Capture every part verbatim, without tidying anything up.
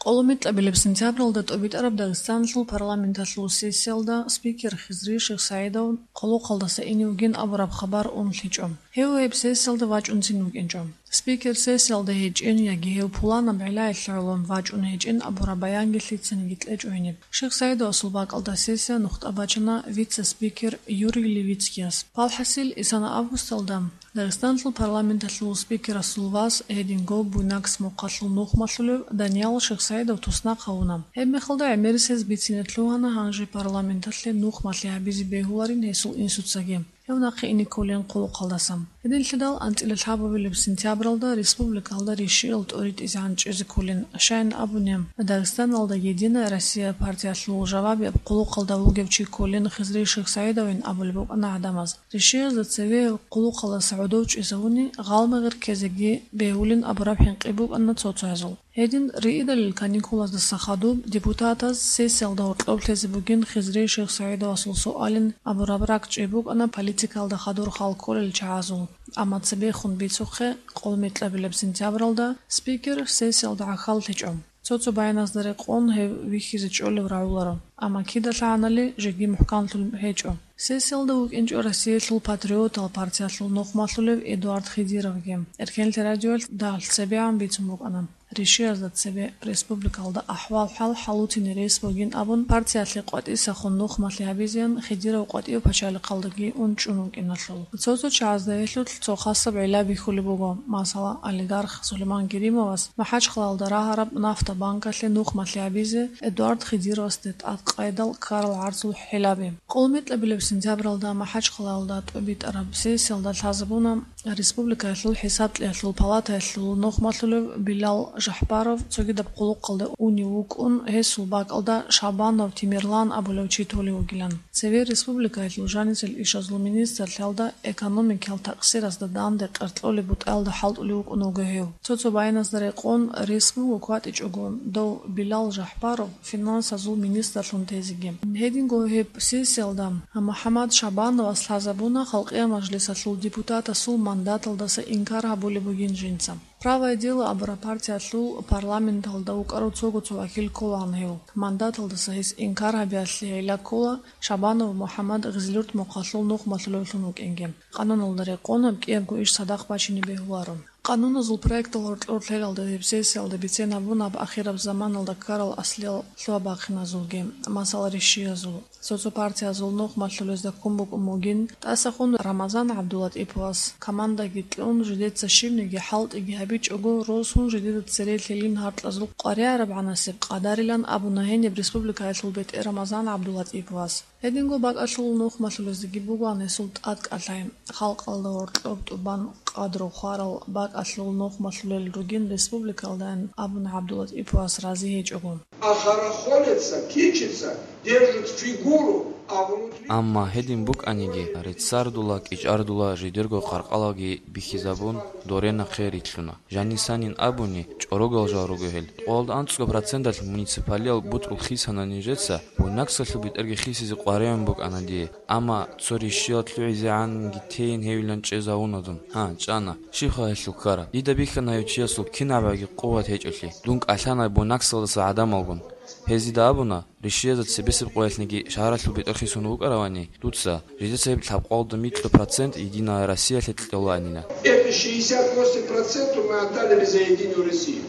КъоломитӀабилеб сентябралда тӀобитӀараб Дагъистаналъул парламенталъул сессиялда спикер Хизри Шихсаидов хъулухъалдаса ине вугин абураб хабар унлъичӀо. Гьев гьеб сессиялда вачӀунцин вукӀинчӀо. Спикер сессиялда гьечӀин яги гьев пуланаб гӀиллаялъе гӀоло вачӀун гьечӀин абураб баянги лъицаниги кьечӀо гьениб. Шихсаидовасул бакӀалда сессия нухда бачана вице-спикер Юрий Левицкияс. Валхъасил, исана августалда Дагъистаналъул парламенталъул спикерасул вас, гьединго Буйнакск мухъалъул нухмалъулев Даниял Шихсаидов туснахъ гьавуна. Гьебмехалда гӀемерисез бицине лъугьана гьанже парламенталъе нухмалъи гьабизе бегьуларин гьесул инсуцаги, гьев нахъе ине кколин хъулухъалдаса. Гьединлъидал анцӀила лъабабилеб сентябралда республикалда ришиял тӀоритӀизегӀан чӀезе кколин, щайин абуни, Дагъистаналда «Единая Россия» партиялъул жавабияб хъулухъалда вугев чи кколин Хизри Шихсаидовин абулеб букӀана гӀадамаз. Ришиязда цеве хъулухъалдаса гӀодов чӀезавуни, гъалмагъир ккезеги бегьулин абураб хӀинкъи букӀана цо-цоязул. Гьедин риидалил каникулаздаса хадуб депутатаз сессиялда гьоркьоб лъезе бугин Хизри Шихсаидовасул суалин абураб ракӀчӀей букӀана политикалда хадур хал кколел чагӀазул, амма цебехун бицухъе, къолмитӀлабилеб сентябралда, спикер сессиялда гӀахьаллъичӀо. Цо-цо баяназда рекъон гьев вихьизе чӀолев рагӀуларо, амма кидалъагӀанали жеги мухӀканлъун гьечӀо. Сессиялда вукӀинчӀо Россиялъул патриотал партиялъул нухмалъулев Эдуард Хидировги. Эркенлъи радиоялъ дагьалъ цебегӀан бицун букӀана, ришиязда цебе республикалда ахӀвал-хӀал хӀалутине рес бугин абун, партиялъе къватӀисахун нухмалъи гьабизеян Хидиров къватӀив пачалихъалдаги ун чӀун вукӀиналъул. Цо-цо чагӀазда гьелъулъ цо хасаб гӀилла бихьулеб буго, масала, олигарх Сулейман Геримовас МахӀачхъалаялда рагьараб нафта банкалъе нухмалъи гьабизе Эдуард Хидировасде тӀадкъайдал ккарал гӀарцул хӀилаби. КъолмитӀлабилеб сентябралда МахӀачхъалаялда тӀубитӀараб сессиялда лъазабуна республикаялъул хӀисаблъиялъул палатаялъул нухмалъулев Билал Жахбаров цогидаб хъулухъалде унев вукӀун, гьесул бакӀалда Шабанов Тимирлан абулев чи толев вугилан. Цеве республикаялъул жанисел ишазул министрлъиялда экономикиял такъсирасда данде къеркьолеб бутӀаялда хӀалтӀулев вукӀун вуго гьев. Цо-цо баяназда рекъон, рес буго кватӀичӀого дов Билал Жахбаров финансазул министрлъун тезеги. Гьединго гьеб сессиялда МухӀаммад Шабановас лъазабуна Халкъиял Мажлисалъул депутатасул мандаталдаса инкар гьабулеб бугин жинца. «Правое дело» абураб партиялъул парламенталда вукӀарав цого цо вакил кколаан гьев. Мандаталдаса гьес инкар гьабиялъе гӀилла ккола Шабанов МухӀаммад Гъизлюрт мухъалъул нухмалъулевлъун вукӀинги. Къануналда рекъон гьаб кӀиябго иш цадахъ бачине бегьуларо. Къануназул проектал гьоркьор лъелалда гьеб сессиялда бицен гьабуна гьаб ахираб заманалда ккарал аслиял лъугьа-бахъиназулги, масала, ришиязул. Цо-цо партиязул нухмалъулезда ккун букӀун бугин, тӀасахун Рамазан ГӀабдулатӀиповас, командаги кьун, жидеца щибниги хӀалтӀиги гьабичӀого, росун жидеда цере лъилин гьаркьазул къваригӀарабгӀанасеб къадарилан абуна гьениб республикаялъул бетӀер Рамазан ГӀабдулатӀиповас. Гьединго бакӀалъул нухмалъулездаги бугоан гьесул тӀадкӀалъай, халкъалда гьоркьоб тӀубан къадру хварал бакӀалъул нухмалъулел ругин республикалдайин абуна ГӀабдулатӀиповас рази гьечӀого. А хорохорятся, кичатся, держат фигуру, а внутри... Амма гьедин букӀаниги, реццардула, кӀичӀардула, жидерго къаркъалаги бихьизабун, доре нахъе рилълъуна. Жанисанин абуни, чӀорогал жал руго гьел. ТӀолаб анцӀго проценталъ муниципалиял бутӀрул хисана нижеца, Буйнакскалъул бетӀерги хисизе къваригӀун букӀана дие, амма цо ришиял лъугӀизегӀанги тейин гьевилан чӀезавуна дун. Гьа, чӀана. Щибха гьелъул ккараб? Дида бихьана гьев чиясул кинабгӀаги къуват гьечӀолъи. Дун кӀалъана Буйнакскалдаса гӀадамалгун. Гьез дида абуна, ришиязда цебесеб къоялъниги шагьаралъул бетӀер хисун вукӀаравани, дуца, жидеца гьеб лъабкъоялда микьго процент Единая Россиялъе кьолаанила. Это шестьдесят восемь процентов мы отдали за Единую Россию.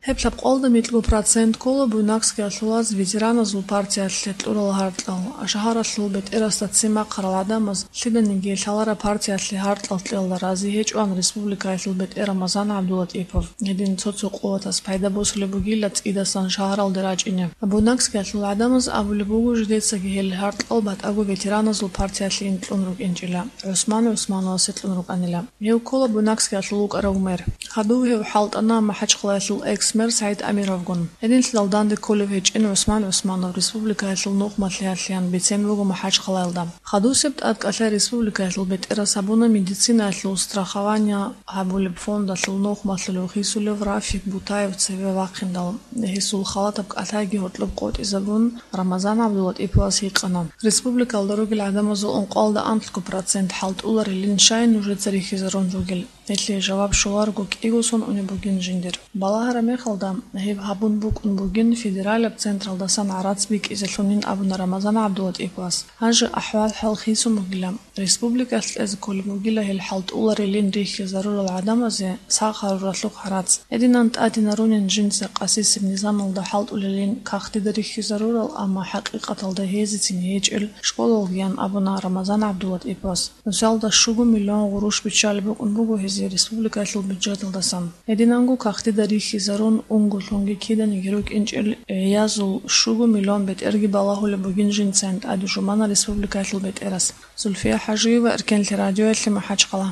Гьеб лъабкъоялда микьго процент ккола Буйнакскиялъулаз ветераназул партиялъе кьурал гьаркьал. Шагьаралъул бетӀерасда ццин бахъарал гӀадамаз лъиданиги лъалареб партиялъе гьаркьал кьелда рази гьечӀоан республикаялъул бетӀер Рамазан ГӀабдулатӀипов. Гьедин цо-цо къуватас пайда босулеб бугила цӀидасан шагьаралде рачӀине. Буйнакскиялъул гӀадамаз абулеб буго, жидецаги гьел гьаркьал батӀаго ветераназул партиялъе инкьун рукӀинчӀила, ГӀусман ГӀусмановасе кьун рукӀанила. Гьев ккола Буйнакскиялъул вукӀарав мэр. Хадув гьев хӀалтӀана МахӀачхъалаялъул экс-мэр СагӀид Амировгун. Гьединлъидал данде кколев гьечӀин ГӀусман ГӀусманов республикаялъул нухмалъиялъеян бицен буго МахӀачхъалаялда. Хадусеб тӀадкӀалъай республикаялъул бетӀерас гьабуна медицинаялъул страхование гьабулеб фондалъул нухмалъулев хисулев Рафик Бутаев цеве вахъиндал, гьесул халатаб кӀалъайги гьоркьоб къотӀизабун, Рамазан ГӀабдулатӀиповас гьикъана. Республикалда ругел гӀадамазул ункъоялда анлъго процент хӀалтӀуларилин щай нужеца рихьизарун ругел? Гьелъие жаваб щоларого кӀиго сон унеб бугин жиндир. Балагьараб мехалда, гьеб гьабун букӀун бугин федералаб централдасан гӀарац бикӀизелъунин абуна Рамазан ГӀабдулатӀиповас. Гьанже ахӀвал-хӀал хисун бугила. Республикалъ кьезе кколеб бугила гьел хӀалтӀуларилин рихьизарурал гӀадамазе сах гьаруралъухъ гӀарац. Гьединан тӀадинарунин жинца къасисеб низамалда хӀалтӀулелин кагътида рихьизарурал, амма хӀакъикъаталда гьезецин гьечӀел школалгиян абуна Рамазан ГӀабдулатӀиповас. Нусалда щуго миллион гъурущ биччалеб букӀун буго гьезие республикалъул бюджеталдасан. Гьединанго кагътида рихьизарун унго лъунги киданиги рукӀинчӀел гӀиязул щуго миллион бетӀерги балагьулеб бугин жинцайин тӀаде жумана республикалъул бетӀерас. Зульфия ХӀажиева, Эркенлъи радиоялъе, МахӀачхъала.